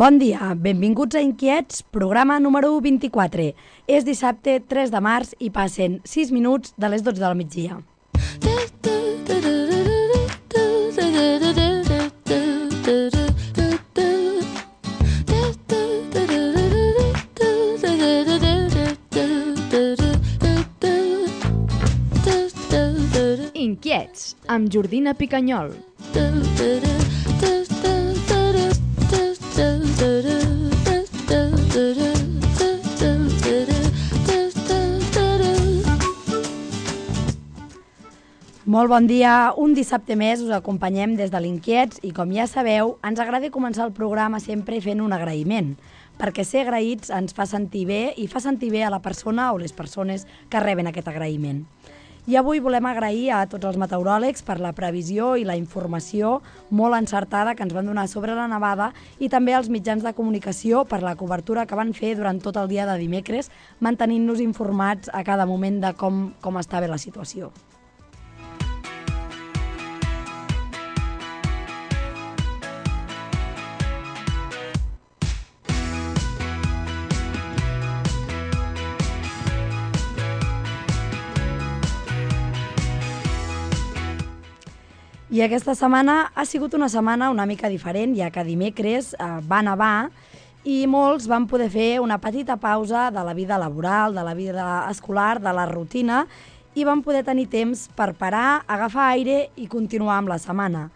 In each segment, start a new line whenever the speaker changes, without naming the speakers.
Bon dia, benvinguts a Inquiets, programa número 24. És dissabte 3 de març i passen 6 minuts de les 12 del migdia.
Inquiets, amb Jordina Picanyol.
Molt bon dia, un dissabte més us acompanyem des de l'Inquiets i com ja sabeu, ens agrada començar el programa sempre fent un agraïment, perquè ser agraïts ens fa sentir bé i fa sentir bé a la persona o les persones que reben aquest agraïment. I avui volem agrair a tots els meteoròlegs per la previsió i la informació molt encertada que ens van donar sobre la nevada i també als mitjans de comunicació per la cobertura que van fer durant tot el dia de dimecres, mantenint-nos informats a cada moment de com està bé la situació. I aquesta setmana ha sigut una setmana una mica diferent, ja que dimecres va nevar i molts van poder fer una petita pausa de la vida laboral, de la vida escolar, de la rutina, i van poder tenir temps per parar, agafar aire i continuar amb la setmana.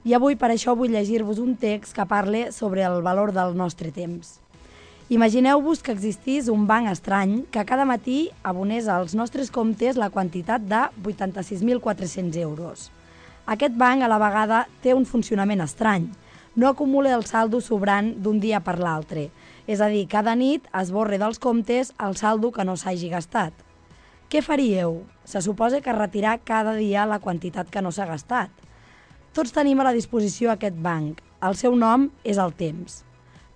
I avui per això vull llegir-vos un text que parle sobre el valor del nostre temps. Imagineu-vos que existís un banc estrany que cada matí abonés als nostres comptes la quantitat de 86.400 euros. Aquest banc a la vegada té un funcionament estrany. No acumula el saldo sobrant d'un dia per l'altre. És a dir, cada nit esborra dels comptes el saldo que no s'hagi gastat. Què faríeu? Se suposa que retirar cada dia la quantitat que no s'ha gastat. Tots tenim a la disposició aquest banc. El seu nom és el temps.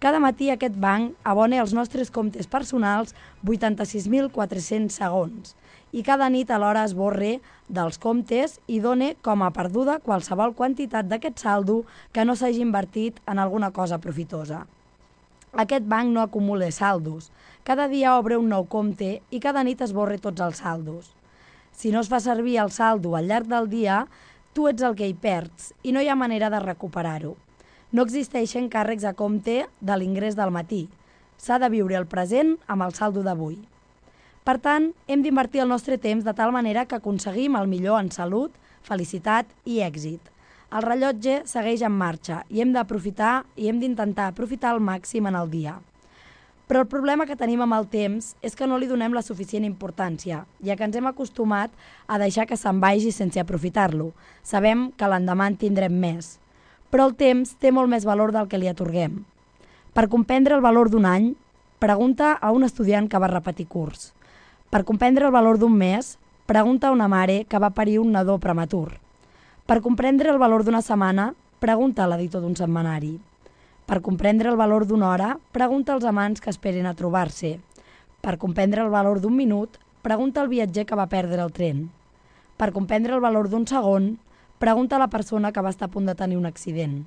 Cada matí aquest banc abona als nostres comptes personals 86.400 segons i cada nit alhora esborra dels comptes i dona com a perduda qualsevol quantitat d'aquest saldo que no s'hagi invertit en alguna cosa profitosa. Aquest banc no acumula saldos. Cada dia obre un nou compte i cada nit esborra tots els saldos. Si no es fa servir el saldo al llarg del dia, tu ets el que hi perds i no hi ha manera de recuperar-ho. No existeixen càrrecs a compte de l'ingrés del matí. S'ha de viure el present amb el saldo d'avui. Per tant, hem d'invertir el nostre temps de tal manera que aconseguim el millor en salut, felicitat i èxit. El rellotge segueix en marxa i hem d'aprofitar i hem d'intentar aprofitar al màxim en el dia. Però el problema que tenim amb el temps és que no li donem la suficient importància, ja que ens hem acostumat a deixar que se'n vagi sense aprofitar-lo. Sabem que l'endemà en tindrem més. Però el temps té molt més valor del que li atorguem. Per comprendre el valor d'un any, pregunta a un estudiant que va repetir curs. Per comprendre el valor d'un mes, pregunta a una mare que va parir un nadó prematur. Per comprendre el valor d'una setmana, pregunta a l'editor d'un setmanari. Per comprendre el valor d'una hora, pregunta als amants que esperen a trobar-se. Per comprendre el valor d'un minut, pregunta al viatger que va perdre el tren. Per comprendre el valor d'un segon, pregunta a la persona que va estar a punt de tenir un accident.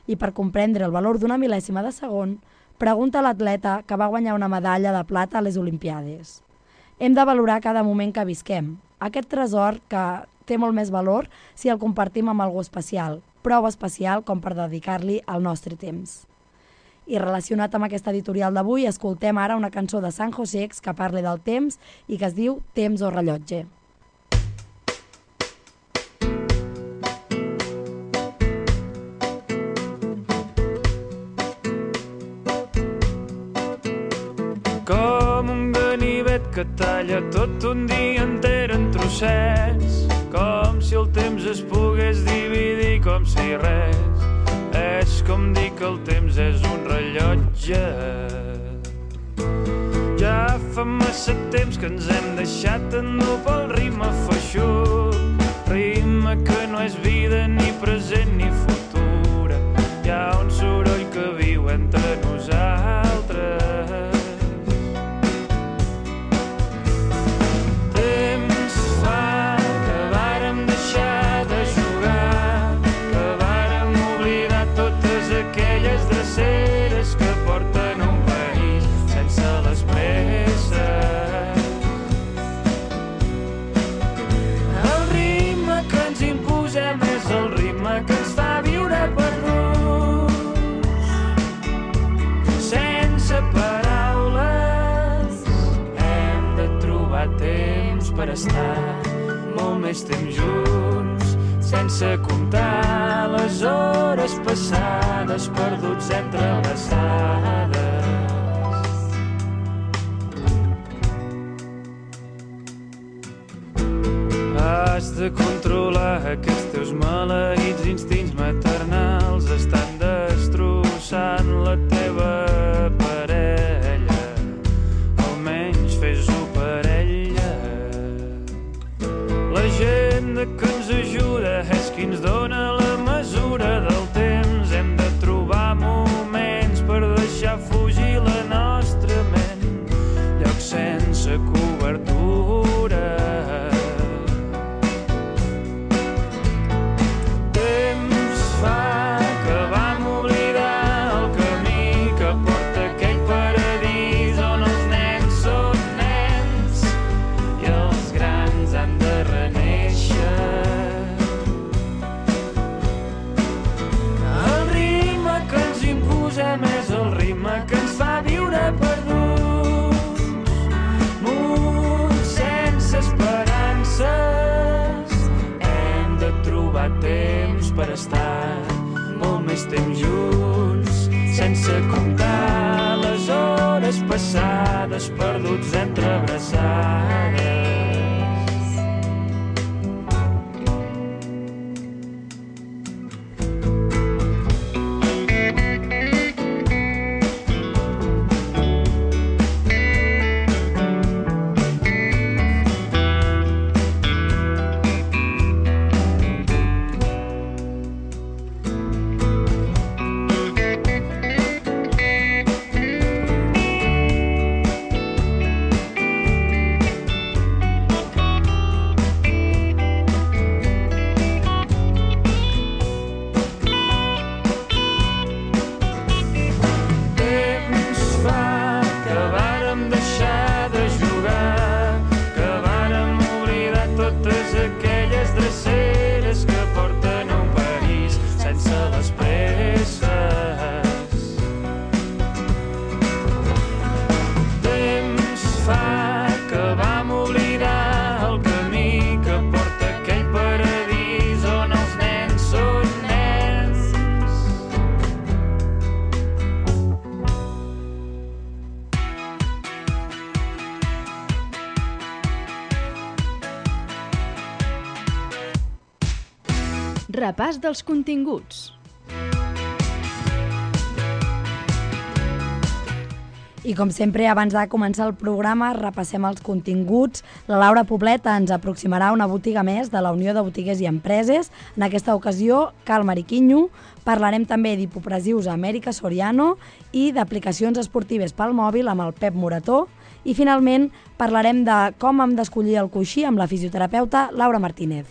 I per comprendre el valor d'una mil·lèsima de segon, pregunta a l'atleta que va guanyar una medalla de plata a les Olimpiades. Hem de valorar cada moment que visquem. Aquest tresor que té molt més valor si el compartim amb algú especial, prou especial com per dedicar-li el nostre temps. I relacionat amb aquesta editorial d'avui, escoltem ara una cançó de San Josex que parla del temps i que es diu Temps o rellotge.
Com un ganivet que talla tot un dia enter en trossets, com si el temps es pogués dividir com si res. És com dir que el temps és un rellotge. Ja fa massa temps que ens hem deixat endur pel ritme feixuc, ritme que no és vida ni present ni futura. Hi ha un soroll que viu entre nosaltres. Aquelles dreceres que per estar molt més temps junts, sense comptar les hores passades perduts entre abraçades. Has de controlar aquests teus maleïts instints maternals, estan destrossant la teva parella, almenys fes-ho per ella. La gent que ens ajuda és qui ens dona la mesura del temps, hem de trobar moments per deixar fugir la nostra ment, llocs sense cobertura. És el ritme que ens fa viure perduts, muts sense esperances. Hem de trobar temps per estar molt més temps junts, sense comptar les hores passades perduts entre abraçades.
Repàs dels continguts.
I com sempre, abans de començar el programa, repassem els continguts. La Laura Poblet ens aproximarà una botiga més de la Unió de Botiguers i Empreses. En aquesta ocasió, Cal Mariquinho. Parlarem també d'hipopresius a Amèrica Soriano i d'aplicacions esportives pel mòbil amb el Pep Morató. I finalment, parlarem de com hem d'escollir el coixí amb la fisioterapeuta Laura Martínez.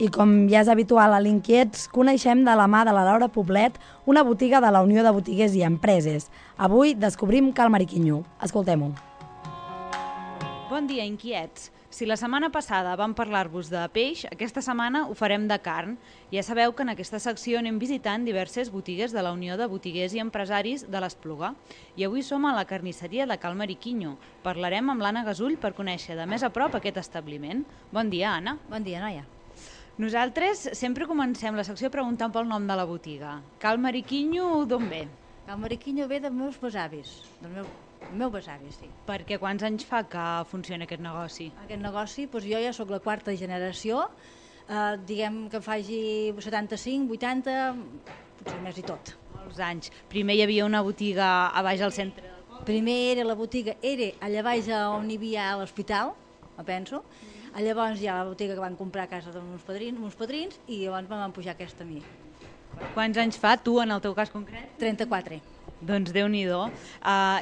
I com ja és habitual a l'Inquiets, coneixem de la mà de la Laura Poblet una botiga de la Unió de Botiguers i Empreses. Avui descobrim Cal Mariquinho. Escoltem-ho.
Bon dia, Inquiets. Si la setmana passada vam parlar-vos de peix, aquesta setmana ho farem de carn. Ja sabeu que en aquesta secció anem visitant diverses botigues de la Unió de Botiguers i Empresaris de l'Espluga. I avui som a la carnisseria de Cal Mariquinho. Parlarem amb l'Anna Gasull per conèixer de més a prop aquest establiment. Bon dia, Anna.
Bon dia, noia.
Nosaltres sempre comencem la secció preguntant pel nom de la botiga. Cal Mariquinho, d'on ve?
Cal Mariquinho ve dels meus besavis, del meu besavi, sí.
Perquè quants anys fa que funciona aquest negoci?
Aquest negoci, doncs jo ja sóc la quarta generació, diguem que faci 75, 80, potser més i tot.
Molts anys. Primer hi havia una botiga a baix al centre del poble.
Primer era la botiga, era allà baix on hi havia l'hospital, me penso. Llavors hi ha la botiga que van comprar a casa dels meus padrins i llavors me van pujar aquesta a mi.
Quants anys fa, tu, en el teu cas concret?
34.
Doncs Déu-n'hi-do.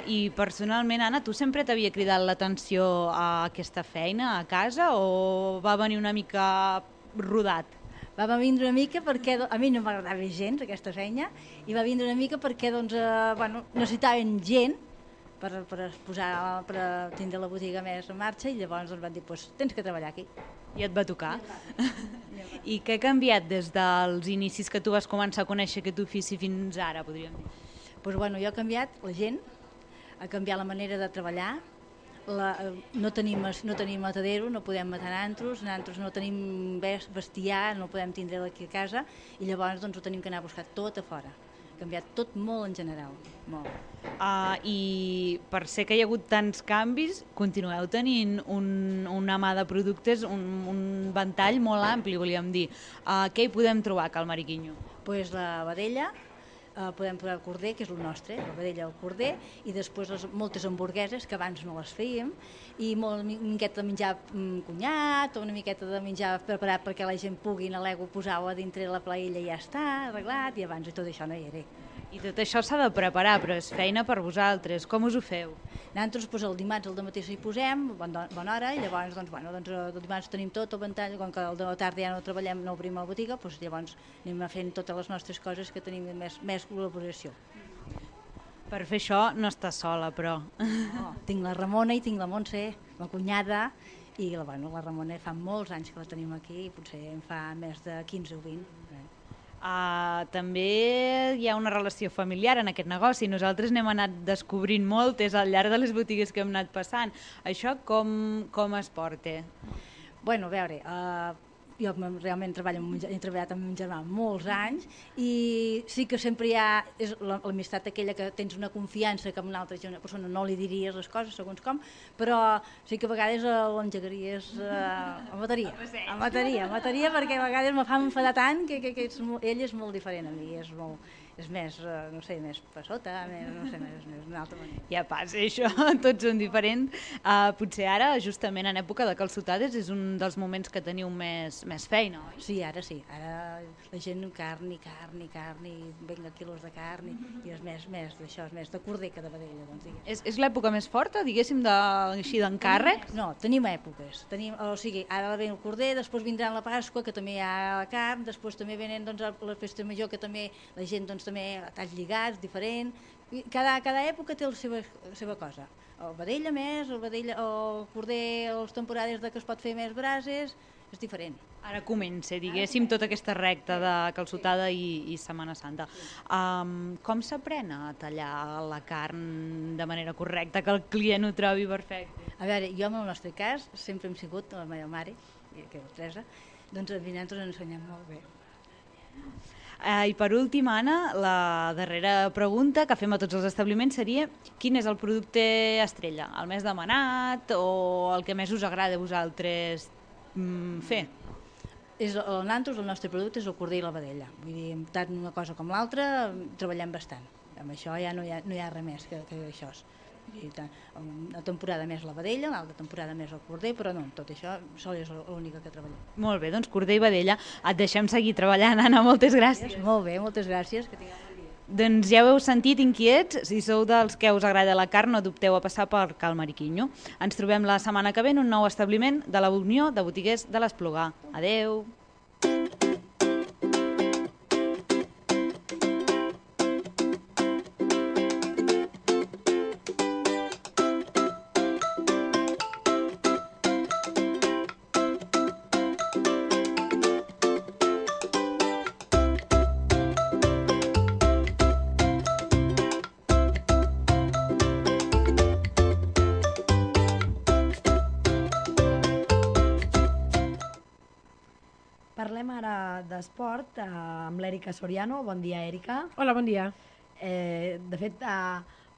I personalment, Anna, tu sempre t'havia cridat l'atenció a aquesta feina a casa o va venir una mica rodat?
Va vindre una mica perquè a mi no m'agradava gens aquesta feina i va vindre una mica perquè necessitaven gent per tindre la botiga més en marxa, i llavors ens van dir, pues, tens que treballar aquí.
I et va tocar. I què ha canviat des dels inicis que tu vas començar a conèixer aquest ofici fins ara, podríem dir?
Pues, bueno, jo he canviat la gent, ha canviat la manera de treballar, no tenim matadero, no podem matar nantros no tenim bestiar, no podem tindre aquí a casa, i llavors doncs, ho tenim que anar a buscar tot a fora. Ha canviat tot molt en general, molt.
I per ser que hi ha hagut tants canvis, continueu tenint una mà de productes, un ventall molt ampli, volíem dir. Què hi podem trobar a Cal Mariquinho?
Pues la vedella, podem trobar el corder, que és el nostre, la vedella del corder, i després moltes hamburgueses, que abans no les fèiem, i una miqueta de menjar cunyat, o una miqueta de menjar preparat perquè la gent pugui a l'ego posar-ho a dintre la paella i ja està, arreglat, i abans tot això no hi era.
I tot això s'ha de preparar, però és feina per vosaltres. Com us ho feu?
Nosaltres pues, el dimarts al dematí s'hi posem, bona hora, i llavors el dimarts tenim tot el ventall, com que al de la tarda ja no treballem, no obrim la botiga, doncs llavors anem fent totes les nostres coses que tenim més col·laboració.
Per fer això no estàs sola, però...
No, tinc la Ramona i tinc la Montse, la cunyada, i la Ramona fa molts anys que la tenim aquí, potser en fa més de 15 o 20.
També hi ha una relació familiar en aquest negoci. Nosaltres n'hem anat descobrint moltes al llarg de les botigues que hem anat passant. Això com es porta?
Bueno, a veure, jo realment he treballat amb un germà molts anys, i sí que sempre hi ha l'amistat aquella que tens una confiança que amb una altra persona no li diries les coses segons com, però sí que a vegades l'engegaries a mataria, perquè a vegades me fa enfadar tant que ell és molt diferent a mi, és més, no sé, més passota, més d'una altra manera.
Ja passa, això, tots són diferents. Potser ara, justament en època de calçotades, és un dels moments que teniu més feina, oi?
Sí, ara la gent carn, i venga quilos de carn, i és més d'això, és més de corder que de vedella. Doncs,
és l'època més forta, diguéssim, així d'encàrrec?
No, tenim èpoques. O sigui, ara ve el corder, després vindrà la Pasqua, que també hi ha la carn, després també venen la festa major, que també la gent també talls lligats, diferent. Cada època té la seva cosa. El vedella més, el corder, les temporades que es pot fer més brases, és diferent.
Ara comença, diguéssim, tota aquesta recta de calçotada i Setmana Santa. Com s'aprèn a tallar la carn de manera correcta, que el client ho trobi perfecte?
A veure, jo en el nostre cas sempre hem sigut la meva mare, que és la Teresa, doncs a nosaltres ens ensenyem molt bé.
I per últim, Anna, la darrera pregunta que fem a tots els establiments seria: quin és el producte estrella, el més demanat o el que més us agrada a vosaltres fer?
El nantros, el nostre producte, és el corder i la vedella. Vull dir, tant una cosa com l'altra, treballem bastant. Amb això ja no hi ha res més que això. Una temporada més la vedella, l'altra temporada més el corder, però no, tot això sol és l'única que treballem.
Molt bé, doncs corder i vedella, et deixem seguir treballant, Anna, moltes gràcies.
Molt bé, moltes gràcies, que tingueu bon dia.
Doncs ja ho heu sentit, inquiets, si sou dels que us agrada la carn no dubteu a passar per Cal Mariquinho. Ens trobem la setmana que ve en un nou establiment de la Unió de Botiguers de l'Esplugar. Adeu!
Parlem ara d'esport amb l'Èrica Soriano. Bon dia, Èrica.
Hola, bon dia.
De fet,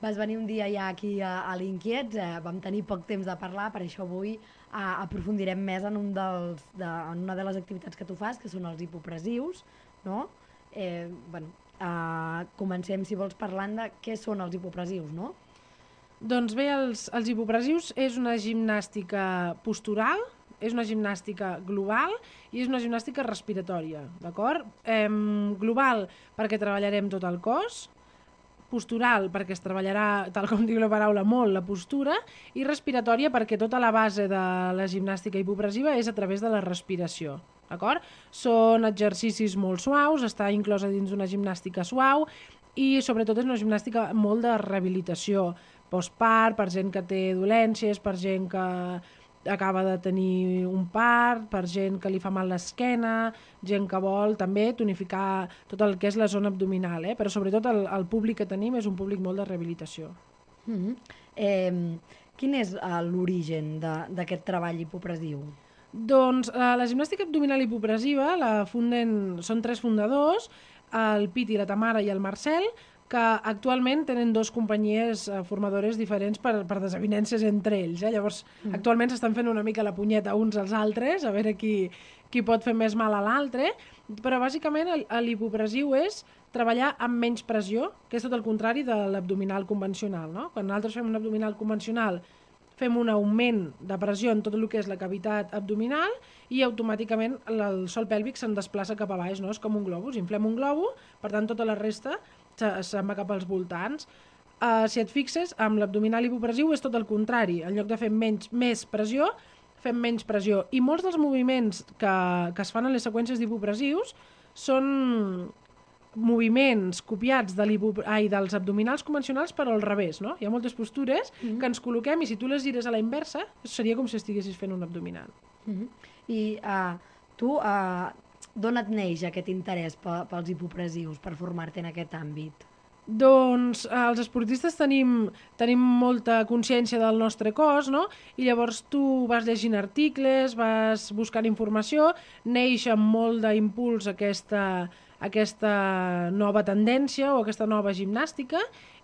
vas venir un dia ja aquí a l'Inquiets, vam tenir poc temps de parlar, per això avui aprofundirem més en una de les activitats que tu fas, que són els hipopressius, no? Comencem, si vols, parlant de què són els hipopressius, no?
Doncs bé, els hipopressius és una gimnàstica postural, és una gimnàstica global i és una gimnàstica respiratòria, d'acord? Global perquè treballarem tot el cos, postural perquè es treballarà, tal com diu la paraula, molt la postura, i respiratòria perquè tota la base de la gimnàstica hipopressiva és a través de la respiració, d'acord? Són exercicis molt suaus, està inclosa dins una gimnàstica suau i sobretot és una gimnàstica molt de rehabilitació, postpart, per gent que té dolències, per gent que acaba de tenir un part, per gent que li fa mal l'esquena, gent que vol també tonificar tot el que és la zona abdominal, però sobretot el públic que tenim és un públic molt de rehabilitació.
Quin és l'origen d'aquest treball hipopressiu?
Doncs la gimnàstica abdominal hipopressiva són 3 fundadors, el Piti, la Tamara i el Marcel, que actualment tenen 2 companyies formadores diferents per desavinences entre ells. Llavors, actualment s'estan fent una mica la punyeta uns als altres, a veure qui pot fer més mal a l'altre, però bàsicament l'hipopressiu és treballar amb menys pressió, que és tot el contrari de l'abdominal convencional, no? Quan nosaltres fem un abdominal convencional fem un augment de pressió en tot el que és la cavitat abdominal i automàticament el sòl pèlvic se'n desplaça cap a baix, no? És com un globus, inflem un globus, per tant tota la resta se'n va cap als voltants. Si et fixes, amb l'abdominal hipopressiu és tot el contrari, en lloc de fer més pressió, fem menys pressió. I molts dels moviments que es fan en les seqüències d'hipopressius són moviments copiats dels abdominals convencionals però al revés, no? Hi ha moltes postures que ens col·loquem i si tu les gires a la inversa seria com si estiguessis fent un abdominal.
I tu, d'on et neix aquest interès pels hipopressius, per formar-te en aquest àmbit?
Doncs els esportistes tenim molta consciència del nostre cos, no? I llavors tu vas llegint articles, vas buscant informació, neix amb molt d'impuls aquesta nova tendència o aquesta nova gimnàstica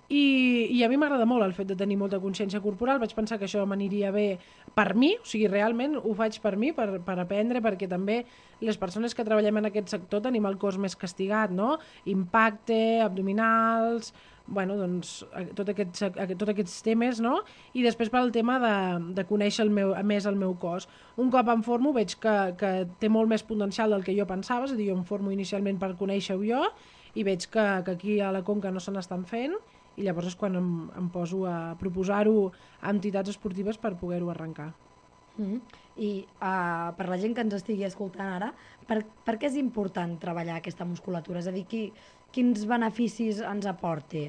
i a mi m'agrada molt el fet de tenir molta consciència corporal. Vaig pensar que això m'aniria bé per mi, o sigui, realment ho faig per mi, per aprendre, perquè també les persones que treballem en aquest sector tenim el cos més castigat, no? Impacte, abdominals, bueno, doncs, tots aquests temes, no? I després pel tema de conèixer més el meu cos. Un cop em formo veig que té molt més potencial del que jo pensava, és a dir, jo em formo inicialment per conèixer-ho jo i veig que aquí a la Conca no se n'estan fent i llavors és quan em poso a proposar-ho a entitats esportives per poder-ho arrencar.
I per la gent que ens estigui escoltant ara, per què és important treballar aquesta musculatura? És a dir, quins beneficis ens aporta?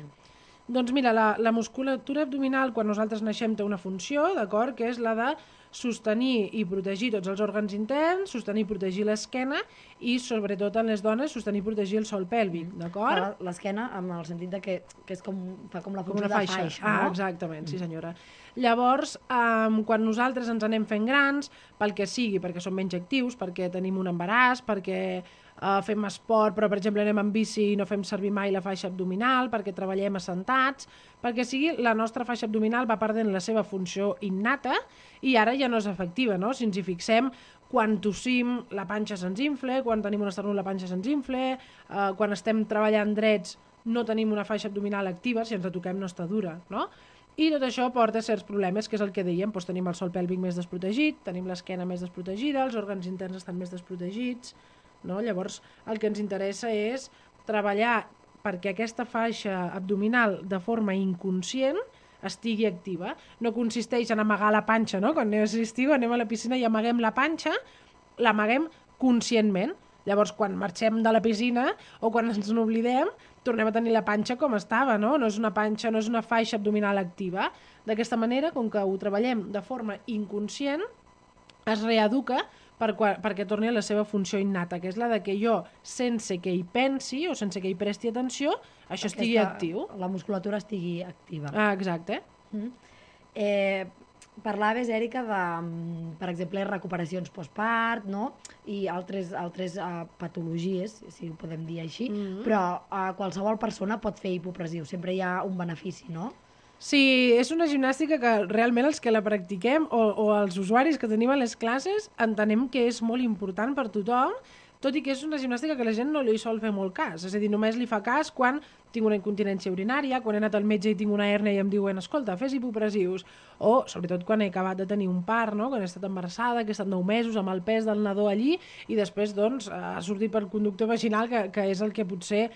Doncs mira, la musculatura abdominal quan nosaltres naixem té una funció, d'acord, que és la de sostenir i protegir tots els òrgans interns, sostenir i protegir l'esquena i, sobretot en les dones, sostenir i protegir el sòl pèlvic, d'acord?
L'esquena en el sentit de que fa com la funció de faixa, no?
Exactament, sí senyora. Llavors, quan nosaltres ens anem fent grans, pel que sigui, perquè som menys actius, perquè tenim un embaràs, perquè fem esport, però per exemple anem en bici i no fem servir mai la faixa abdominal, perquè treballem assentats, perquè sigui la nostra faixa abdominal va perdent la seva funció innata i ara ja no és efectiva, no? Si ens hi fixem, quan tossim la panxa se'ns infla, quan tenim un esternut la panxa se'ns infla, quan estem treballant drets no tenim una faixa abdominal activa, si ens la toquem no està dura, no? I tot això porta certs problemes, que és el que dèiem, doncs tenim el sòl pèlvic més desprotegit, tenim l'esquena més desprotegida, els òrgans interns estan més desprotegits, no? Llavors el que ens interessa és treballar perquè aquesta faixa abdominal de forma inconscient estigui activa. No consisteix en amagar la panxa, no? Quan anem a la piscina i amaguem la panxa, l'amaguem conscientment. Llavors, quan marxem de la piscina o quan ens n'oblidem, tornem a tenir la panxa com estava, no? No és una panxa, no és una faixa abdominal activa. D'aquesta manera, com que ho treballem de forma inconscient, es reeduca perquè torni a la seva funció innata, que és la de que jo, sense que hi pensi o sense que hi presti atenció, això estigui actiu.
La musculatura estigui activa.
Exacte.
Parlaves, Èrica, de, per exemple, recuperacions postpart, no? I altres patologies, si ho podem dir així, però qualsevol persona pot fer hipopressiu, sempre hi ha un benefici, no?
Sí, és una gimnàstica que realment els que la practiquem o els usuaris que tenim a les classes entenem que és molt important per tothom, tot i que és una gimnàstica que la gent no li sol fer molt cas. És a dir, només li fa cas quan tinc una incontinència urinària, quan he anat al metge i tinc una hèrnia i em diuen escolta, fes hipopressius, o sobretot quan he acabat de tenir un part, no? Quan he estat embarassada, que he estat 9 mesos amb el pes del nadó allí i després doncs, ha sortit pel conducte vaginal, que és el que potser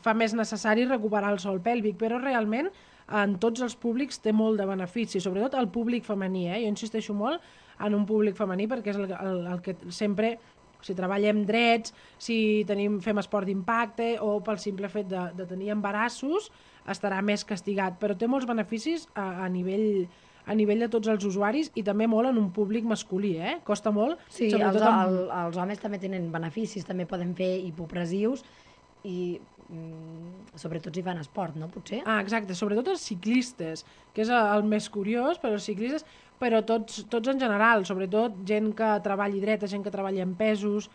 fa més necessari recuperar el sòl pèlvic, però realment en tots els públics té molt de benefici, sobretot el públic femení. Jo insisteixo molt en un públic femení perquè és el que sempre O sigui, treballem drets, si fem esport d'impacte o pel simple fet de tenir embarassos, estarà més castigat. Però té molts beneficis a nivell de tots els usuaris i també molt en un públic masculí, Costa molt.
Sí, els homes també tenen beneficis, també poden fer hipopressius i sobretot si fan esport, no? Potser?
Exacte, sobretot els ciclistes, que és el més curiós, però els ciclistes, però tots en general, sobretot gent que treballi dreta, gent que treballi en pesos,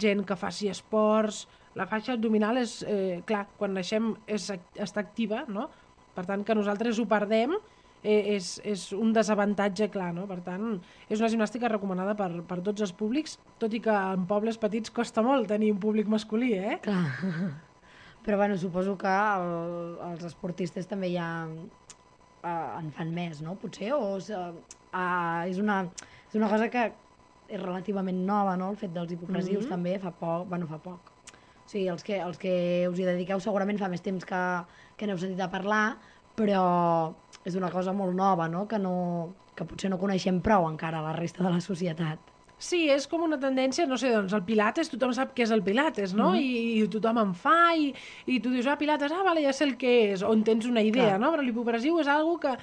gent que faci esports. La faixa abdominal és, clar, quan naixem està activa, no? Per tant, que nosaltres ho perdem és un desavantatge clar, no? Per tant, és una gimnàstica recomanada per tots els públics, tot i que en pobles petits costa molt tenir un públic masculí,
Clar. Però bueno, suposo que els esportistes també ja en fan més, no? Potser, o és una cosa que és relativament nova, no? El fet dels hipopressius també fa poc. O sigui, els que us hi dediqueu segurament fa més temps que n'heu sentit a parlar, però és una cosa molt nova, no? Que potser no coneixem prou encara la resta de la societat.
Sí, és com una tendència, no sé, doncs el pilates, tothom sap què és el pilates, no? I tothom en fa, i tu dius, pilates, vale, ja sé el que és, on tens una idea, no? Però l'hipopressiu és algo que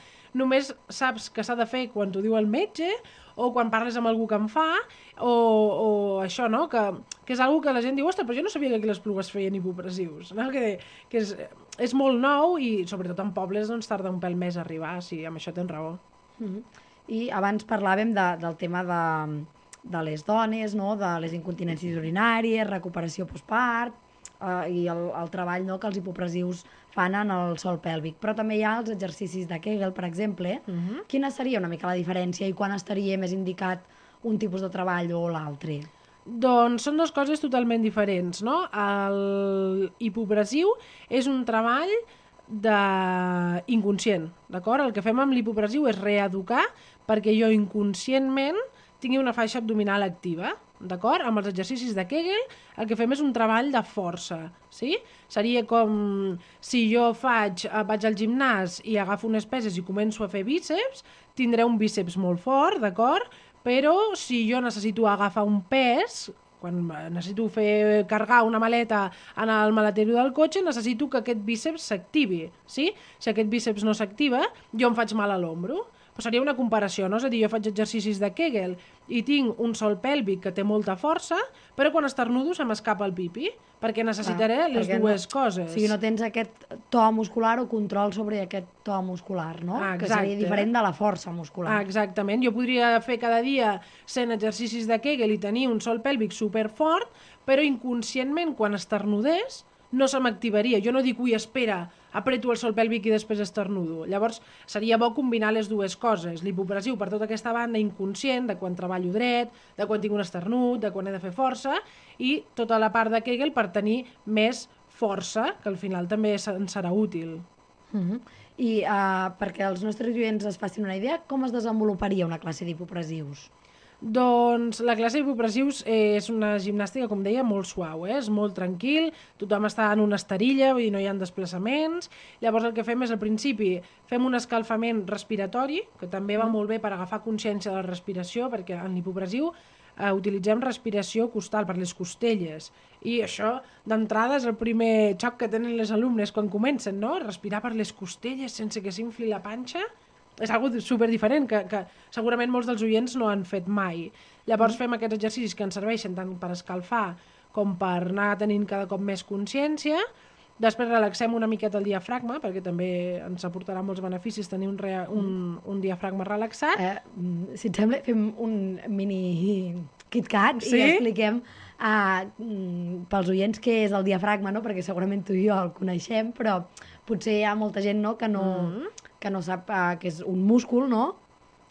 només saps que s'ha de fer quan t'ho diu el metge, o quan parles amb algú que en fa, o això, no? Que és algo que la gent diu, ostres, però jo no sabia que aquí les Plugues feien hipopressius, no? Que és molt nou i sobretot en pobles doncs tarda un pèl més a arribar, sí, amb això tens raó.
I abans parlàvem del tema de les dones, no? De les incontinències urinàries, recuperació postpart i el treball, no? Que els hipopressius fan en el sòl pèlvic. Però també hi ha els exercicis de Kegel, per exemple. Quina seria una mica la diferència i quan estaria més indicat un tipus de treball o l'altre?
Doncs són dues coses totalment diferents, no? El hipopressiu és un treball inconscient, d'acord? El que fem amb l'hipopressiu és reeducar perquè jo inconscientment tingui una faixa abdominal activa, d'acord? Amb els exercicis de Kegel el que fem és un treball de força, sí? Seria com si jo vaig al gimnàs i agafo unes peses i començo a fer bíceps, tindré un bíceps molt fort, d'acord? Però si jo necessito agafar un pes, quan necessito carregar una maleta en el maletero del cotxe, necessito que aquest bíceps s'activi, sí? Si aquest bíceps no s'activa, jo em faig mal a l'ombro. Però seria una comparació, no? És a dir, jo faig exercicis de Kegel i tinc un sòl pèlvic que té molta força, però quan estornudo se m'escapa el pipi, perquè necessitaré les dues coses.
O sigui, no tens aquest to muscular o control sobre aquest to muscular, no?
Exacte.
Que seria diferent de la força muscular.
Exactament. Jo podria fer cada dia 100 exercicis de Kegel i tenir un sòl pèlvic superfort, però inconscientment, quan esternudés, no se m'activaria. Jo no dic, ui, espera, apreto el sòl pèlvic i després estornudo. Llavors, seria bo combinar les dues coses. L'hipopressiu per tota aquesta banda inconscient, de quan treballo dret, de quan tinc un esternut, de quan he de fer força, i tota la part de Kegel per tenir més força, que al final també ens serà útil.
I perquè els nostres oients es facin una idea, com es desenvoluparia una classe d'hipopressius?
Doncs la classe d'hipopressius és una gimnàstica, com deia, molt suau, és molt tranquil, tothom està en una esterilla, vull dir, no hi ha desplaçaments. Llavors el que fem és al principi fem un escalfament respiratori, que també va molt bé per agafar consciència de la respiració, perquè en l'hipopressiu utilitzem respiració costal per les costelles, i això d'entrada és el primer xoc que tenen les alumnes quan comencen, no? Respirar per les costelles sense que s'infli la panxa. És algo super diferent que segurament molts dels oients no han fet mai. Llavors fem aquests exercicis que ens serveixen tant per escalfar com per anar tenint cada cop més consciència. Després relaxem una miqueta el diafragma, perquè també ens aportarà molts beneficis tenir un diafragma relaxat.
Si et sembla, fem un mini KitKat i expliquem pels oients què és el diafragma, no? Perquè segurament tu i jo el coneixem, però potser hi ha molta gent, no? que no sap que és un múscul, no?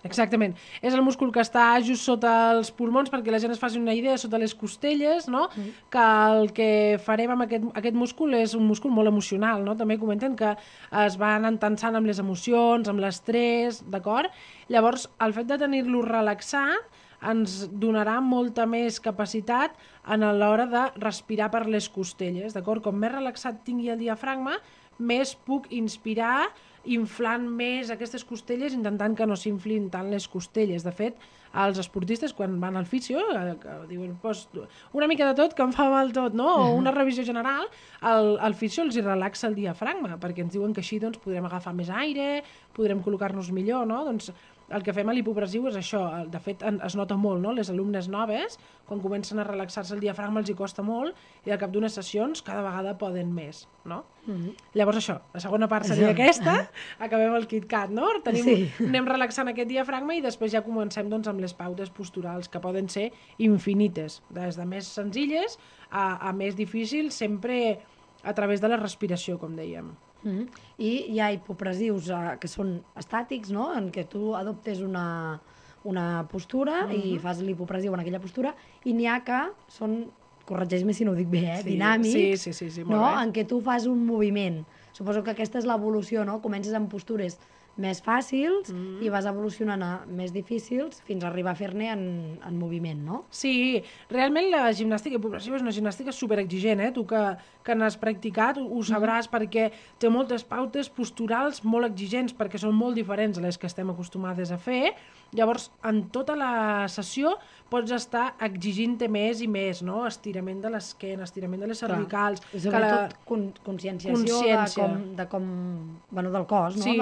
Exactament. És el múscul que està just sota els pulmons, perquè la gent es faci una idea, sota les costelles, no? Que el que farem amb aquest múscul és un múscul molt emocional, no? També comenten que es van entensant amb les emocions, amb l'estrès, d'acord? Llavors, el fet de tenir-lo relaxat ens donarà molta més capacitat a l'hora de respirar per les costelles, d'acord? Com més relaxat tingui el diafragma, més puc inspirar inflant més aquestes costelles, intentant que no s'inflin tant les costelles. De fet, els esportistes, quan van al fisio, que diuen una mica de tot, que em fa mal tot, no? O una revisió general, el fisio els relaxa el diafragma, perquè ens diuen que així doncs, podrem agafar més aire, podrem col·locar-nos millor, no? Doncs el que fem a l'hipopressiu és això. De fet, es nota molt, no? Les alumnes noves, quan comencen a relaxar-se el diafragma, els hi costa molt, i al cap d'unes sessions cada vegada poden més, no? Llavors això, la segona part seria aquesta, acabem el KitKat, no? Anem relaxant aquest diafragma i després ja comencem doncs, amb les pautes posturals, que poden ser infinites, des de més senzilles a més difícils, sempre a través de la respiració, com dèiem.
I hi ha hipopressius que són estàtics, no? En què tu adoptes una postura i fas l'hipopressiu en aquella postura, i n'hi ha que són, corregeix-me si no ho dic bé, dinàmics,
sí,
no? En què tu fas un moviment. Suposo que aquesta és l'evolució, no? Comences amb postures més fàcils i vas evolucionant a més difícils fins a arribar a fer-ne en moviment, no?
Sí, realment la gimnàstica hipopressiva és una gimnàstica superexigent, Tu que n'has practicat ho sabràs, perquè té moltes pautes posturals molt exigents, perquè són molt diferents a les que estem acostumades a fer. Llavors, en tota la sessió pots estar exigint-te més i més, no? Estirament de l'esquena, estirament de les cervicals...
I sobretot conscienciació de com... Bueno, del cos, no?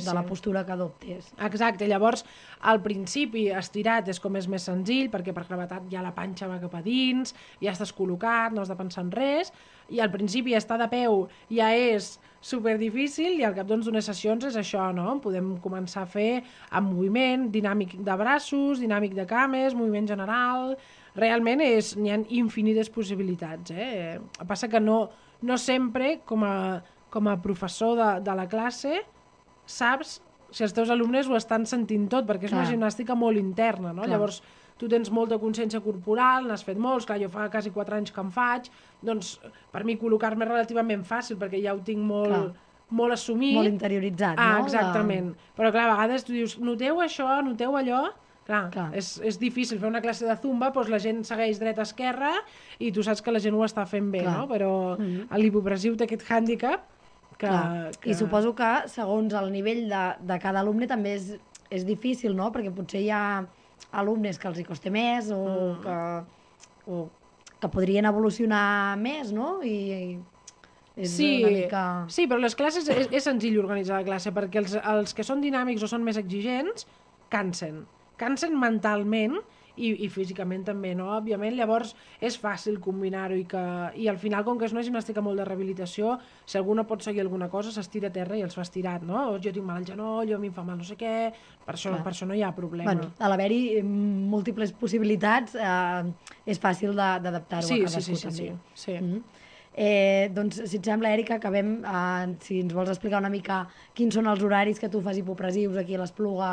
De la postura que adoptes.
Exacte, llavors al principi estirat és com és més senzill, perquè per gravetat ja la panxa va cap a dins, ja estàs col·locat, no has de pensar en res, i al principi estar de peu ja és superdifícil, i al cap d'unes sessions és això, no? Podem començar a fer amb moviment, dinàmic de braços, dinàmic de cames, moviment general... Realment n'hi ha infinites possibilitats, Passa que no sempre, com a professor de la classe, saps si els teus alumnes ho estan sentint tot, perquè és una gimnàstica molt interna, no? Llavors, tu tens molta consciència corporal, n'has fet molts, clar, jo fa quasi 4 anys que en faig, doncs per mi col·locar-me és relativament fàcil, perquè ja ho tinc molt assumit.
Molt interioritzat, no?
Exactament. Però clar, a vegades tu dius, noteu això, noteu allò... Clar. És difícil fer una classe de zumba, doncs la gent segueix dreta-esquerra i tu saps que la gent ho està fent bé, no? Però l'hipopressiu té aquest hàndicap que...
I suposo que segons el nivell de cada alumne també és difícil, no? Perquè potser hi ha alumnes que els hi costa més o que podrien evolucionar més, no? I és una mica...
Sí, però les classes és senzill organitzar la classe, perquè els que són dinàmics o són més exigents cansen mentalment i físicament també, no? Òbviament, llavors és fàcil combinar-ho i al final, com que és una gimnàstica molt de rehabilitació, si algú no pot seguir alguna cosa, s'estira a terra i els fa estirat, no? O jo tinc mal al genoll, o a mi em fa mal no sé què, per això no hi ha problema.
Bueno, a l'haver-hi múltiples possibilitats, és fàcil d'adaptar-ho a cadascú també.
Sí.
Doncs, si et sembla, Èrica, acabem, si ens vols explicar una mica quins són els horaris que tu fas hipopressius aquí a l'Espluga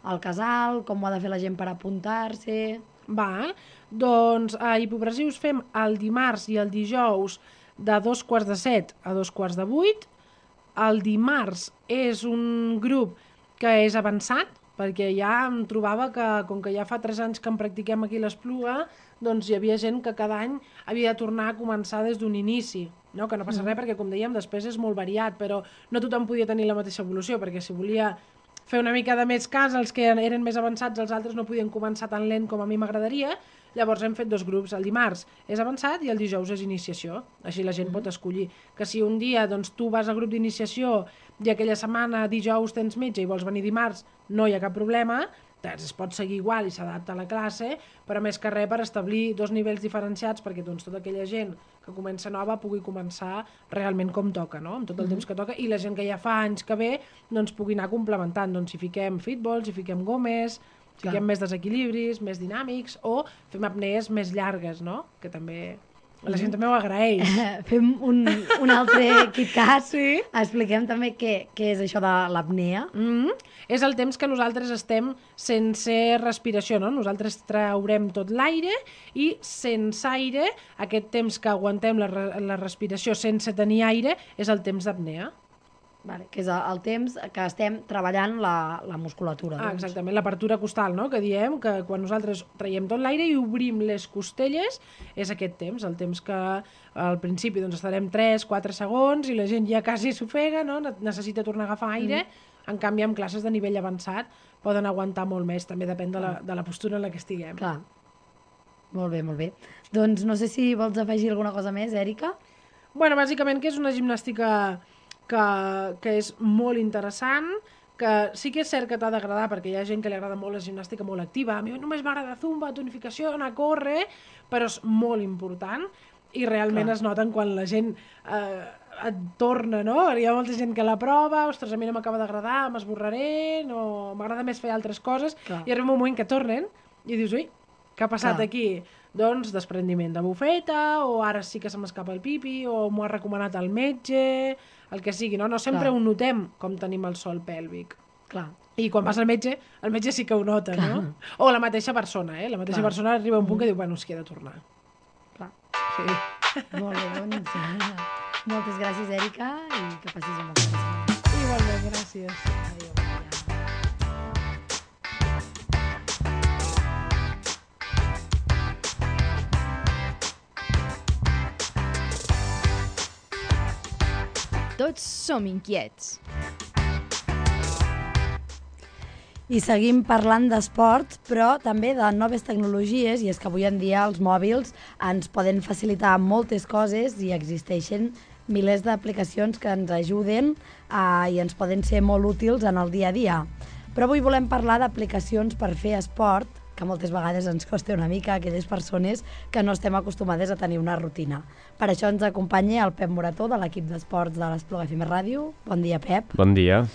al Casal, com ho ha de fer la gent per apuntar-se...
Doncs a hipopressius fem el dimarts i el dijous de 6:45 a 7:45. El dimarts és un grup que és avançat, perquè ja em trobava que, com que ja fa 3 anys que en practiquem aquí a l'Espluga, doncs hi havia gent que cada any havia de tornar a començar des d'un inici, no? Que no passa res perquè, com dèiem, després és molt variat, però no tothom podia tenir la mateixa evolució, perquè si volia fer una mica de més cas, els que eren més avançats, els altres no podien començar tan lent com a mi m'agradaria, llavors hem fet 2 grups, el dimarts és avançat i el dijous és iniciació, així la gent pot escollir, que si un dia doncs, tu vas al grup d'iniciació i aquella setmana dijous tens metge i vols venir dimarts, no hi ha cap problema, es pot seguir igual i s'adapta a la classe, però més que res per establir 2 nivells diferenciats perquè doncs, tota aquella gent que comença nova pugui començar realment com toca, no? Amb tot el temps que toca, i la gent que ja fa anys que ve doncs, pugui anar complementant, doncs, si fiquem fitballs, si fiquem gomes, si fiquem més desequilibris, més dinàmics, o fem apnees més llargues, no? Que també... La gent també ho agraeix.
Fem un altre KitKat. Expliquem també què és això de l'apnea.
És el temps que nosaltres estem sense respiració, no? Nosaltres traurem tot l'aire i sense aire, aquest temps que aguantem la respiració sense tenir aire, és el temps d'apnea.
Vale, que és el temps que estem treballant la musculatura. Doncs.
Exactament, l'apertura costal, no? Que diem que quan nosaltres traiem tot l'aire i obrim les costelles és aquest temps, el temps que al principi doncs, estarem 3-4 segons i la gent ja quasi s'ofega, no? Necessita tornar a agafar aire, en canvi amb classes de nivell avançat poden aguantar molt més, també depèn de la postura en la que estiguem.
Clar, molt bé, molt bé. Doncs no sé si vols afegir alguna cosa més, Èrica?
Bueno, bàsicament que és una gimnàstica que és molt interessant, que sí que és cert que t'ha d'agradar, perquè hi ha gent que li agrada molt la gimnàstica molt activa. A mi només m'agrada zumba, tonificació, anar a córrer, però és molt important i realment es noten quan la gent et torna, no? Hi ha molta gent que la prova, ostres, a mi no m'acaba d'agradar, m'esborraré, no, m'agrada més fer altres coses, i arriba un moment que tornen i dius, ui, què ha passat aquí? Doncs desprendiment de bufeta, o ara sí que se m'escapa el pipi, o m'ho ha recomanat el metge, el que sigui, no? No sempre ho notem com tenim el sòl pèlvic.
Clar.
I quan vas al metge sí que ho nota, no? O la mateixa persona, La mateixa persona arriba a un punt que diu, bueno, és que he de tornar.
Clar.
Sí.
Molt bé, doncs. Moltes gràcies, Èrica, i que passis una bona setmana.
Igualment, gràcies.
Adéu.
Tots som inquiets.
I seguim parlant d'esports, però també de noves tecnologies, i és que avui en dia els mòbils ens poden facilitar moltes coses i existeixen milers d'aplicacions que ens ajuden i ens poden ser molt útils en el dia a dia. Però avui volem parlar d'aplicacions per fer esport, que moltes vegades ens costa una mica a aquelles persones que no estem acostumades a tenir una rutina. Per això ens acompanya el Pep Morató, de l'equip d'esports de l'Espluga FM Ràdio. Bon dia, Pep.
Bon dia.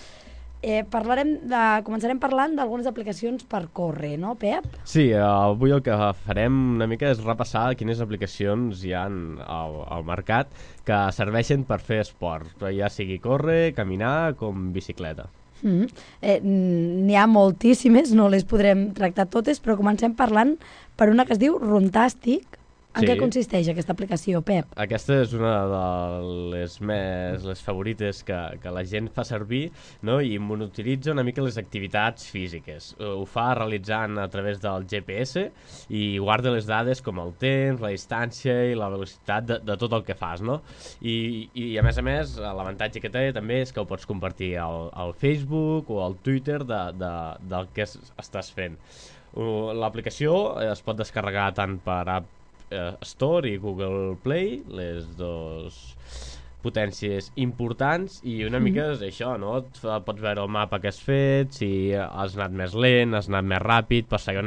Començarem parlant d'algunes aplicacions per córrer, no, Pep?
Sí, avui el que farem una mica és repassar quines aplicacions hi ha al mercat que serveixen per fer esport, ja sigui córrer, caminar com bicicleta.
N'hi ha moltíssimes, no les podrem tractar totes, però comencem parlant per una que es diu Runtastic. En què consisteix aquesta aplicació, Pep?
Aquesta és una de les favorites que la gent fa servir, no? I monitoritza una mica les activitats físiques. Ho fa realitzant a través del GPS i guarda les dades com el temps, la distància i la velocitat de tot el que fas, no? I a més, l'avantatge que té també és que ho pots compartir al Facebook o al Twitter del que estàs fent. L'aplicació es pot descarregar tant per App Store i Google Play, les dues potències importants, i una mica és això, no? Pots veure el mapa que has fet, si has anat més lent, has anat més ràpid, per saber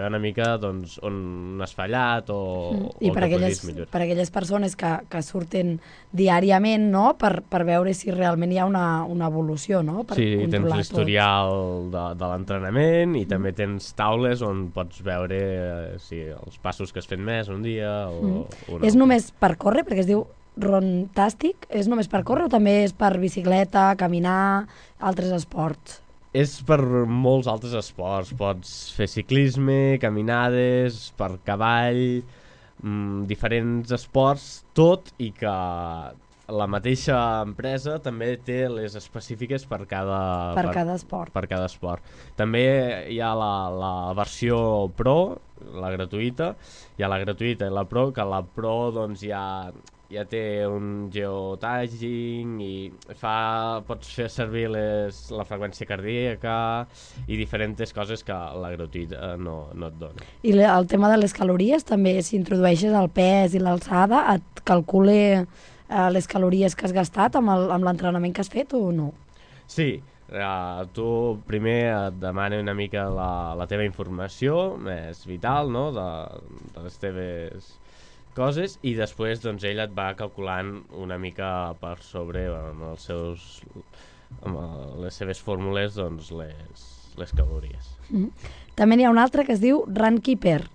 una mica doncs, on has fallat o
I per aquelles persones que surten diàriament, no? Per veure si realment hi ha una evolució, no?
Sí, tens l'historial de l'entrenament i també tens taules on pots veure si els passos que has fet més un dia o un altre.
És només per córrer, perquè es diu Runtastic? És només per córrer o també és per bicicleta, caminar, altres esports?
És per molts altres esports. Pots fer ciclisme, caminades, per cavall, diferents esports, tot i que la mateixa empresa també té les específiques per cada esport. També hi ha la versió Pro, la gratuïta, hi ha la gratuïta i la Pro, que la Pro doncs ja té un geotagging i pots fer servir la freqüència cardíaca i diferents coses que la gratuïta no et dona.
I el tema de les calories també, si introdueixes el pes i l'alçada, et calcula les calories que has gastat amb l'entrenament que has fet o no?
Sí, tu primer et demana una mica la teva informació més vital, no? de les teves coses, i després doncs, ell et va calculant una mica per sobre amb les seves fórmules doncs, les calories.
També n'hi ha una altra que es diu Runkeeper.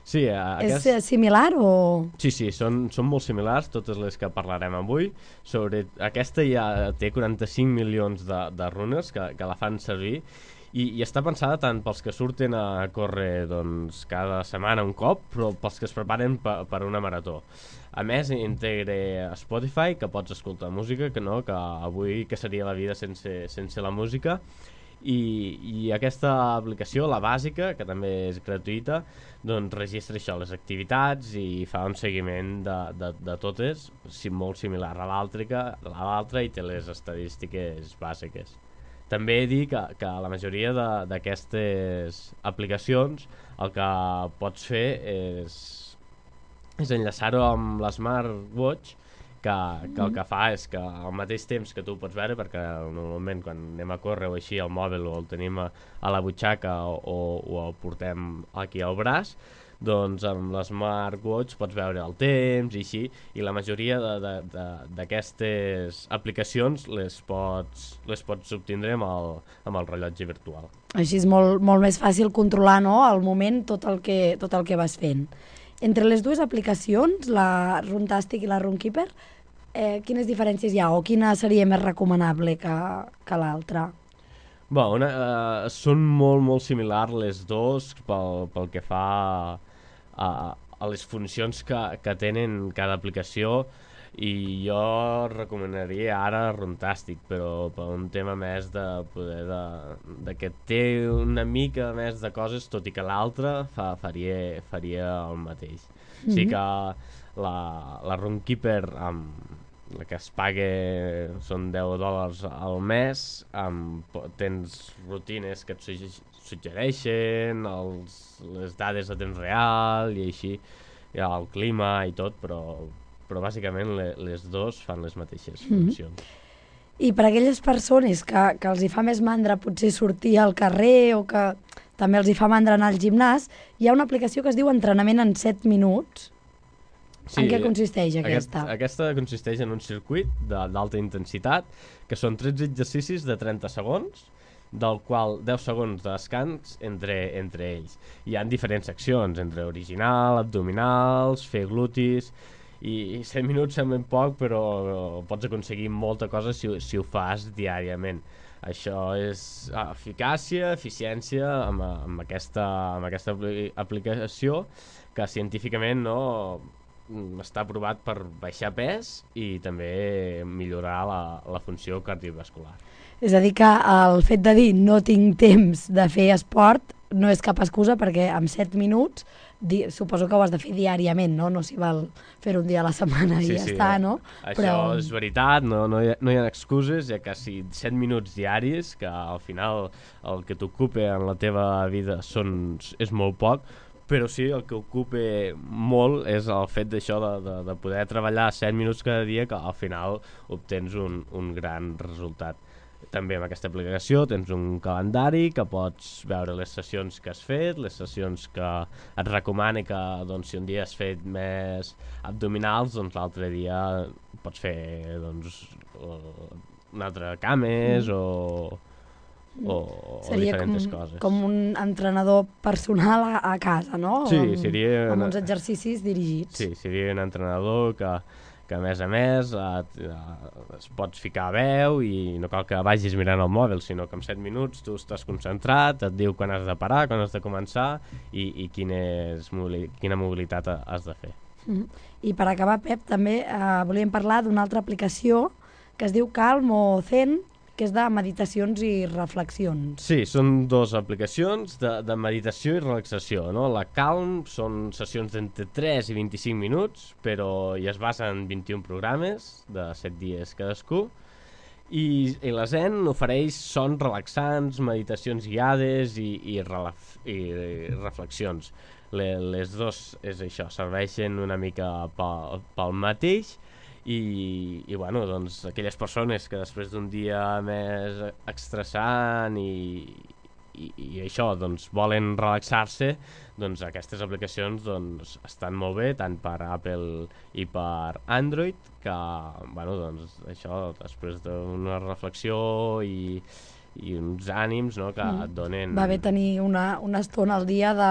Sí,
és similar o...?
Sí, són molt similars, totes les que parlarem avui. Sobre aquesta ja té 45 milions de runners que la fan servir, i està pensada tant pels que surten a córrer doncs, cada setmana un cop, però pels que es preparen per una marató. A més, integra Spotify, que pots escoltar música, que avui que seria la vida sense la música, i aquesta aplicació, la bàsica, que també és gratuïta, doncs registra això, les activitats i fa un seguiment de totes, molt similar a l'altra i té les estadístiques bàsiques. També dir que la majoria d'aquestes aplicacions el que pots fer és enllaçar-ho amb l'Smartwatch, que el que fa és que al mateix temps que tu pots veure, perquè normalment quan anem a córrer o així el mòbil o el tenim a la butxaca o el portem aquí al braç, doncs amb l'Smartwatch pots veure el temps i així, i la majoria d'aquestes aplicacions les pots obtindre amb el rellotge virtual.
Així és molt més fàcil controlar, no?, al moment tot el que vas fent. Entre les dues aplicacions, la Runtastic i la Runkeeper, quines diferències hi ha o quina seria més recomanable que l'altra?
Són molt similars les dues pel que fa a les funcions que tenen cada aplicació, i jo recomanaria ara Runtastic, però per un tema més de que té una mica més de coses, tot i que l'altra faria el mateix. O sigui que la Runkeeper, la que es paga són $10 al mes, tens rutines que et suggereixen, les dades a temps real i així, el clima i tot, però bàsicament les dues fan les mateixes funcions.
I per a aquelles persones que els hi fa més mandra potser sortir al carrer o que també els hi fa mandra anar al gimnàs, hi ha una aplicació que es diu Entrenament en 7 minuts. En què consisteix aquesta?
Aquesta consisteix en un circuit d'alta intensitat, que són 13 exercicis de 30 segons, del qual 10 segons de descans entre ells. Hi ha diferents seccions, entre original, abdominals, fer glutis, i 7 minuts semblen poc, però pots aconseguir molta cosa si ho fas diàriament. Això és eficàcia, eficiència amb aquesta aplicació, que científicament està provat per baixar pes i també millorar la funció cardiovascular.
És a dir, que el fet de dir no tinc temps de fer esport no és cap excusa, perquè amb 7 minuts suposo que ho has de fer diàriament, no s'hi val fer un dia a la setmana i ja està, no?
Això és veritat, no hi ha excuses, ja que si 7 minuts diaris, que al final el que t'ocupa en la teva vida és molt poc, però sí, el que ocupa molt és el fet d'això de poder treballar 7 minuts cada dia, que al final obtens un gran resultat. També amb aquesta aplicació tens un calendari que pots veure les sessions que has fet, les sessions que et recomana que si un dia has fet més abdominals, doncs l'altre dia pots fer un altre cames o diferents coses.
Seria com un entrenador personal a casa, no?
Sí, seria...
Amb uns exercicis dirigits.
Sí, seria un entrenador que a més es pots ficar a veu i no cal que vagis mirant el mòbil, sinó que en 7 minuts tu estàs concentrat, et diu quan has de parar, quan has de començar i quina mobilitat has de fer.
I per acabar, Pep, també volíem parlar d'una altra aplicació que es diu Calm o Zen, que és de meditacions i reflexions.
Sí, són dues aplicacions de meditació i relaxació, no? La Calm són sessions d'entre 3 i 25 minuts, però ja es basa en 21 programes de 7 dies cadascú, i la Zen ofereix sons relaxants, meditacions guiades i reflexions. Les dues és això, serveixen una mica pel mateix, i bueno, doncs aquelles persones que després d'un dia més estressant i això, doncs volen relaxar-se, doncs aquestes aplicacions doncs estan molt bé, tant per Apple i per Android, que bueno, doncs això, després d'una reflexió i uns ànims, no?, que et donen...
Va bé tenir una estona al dia de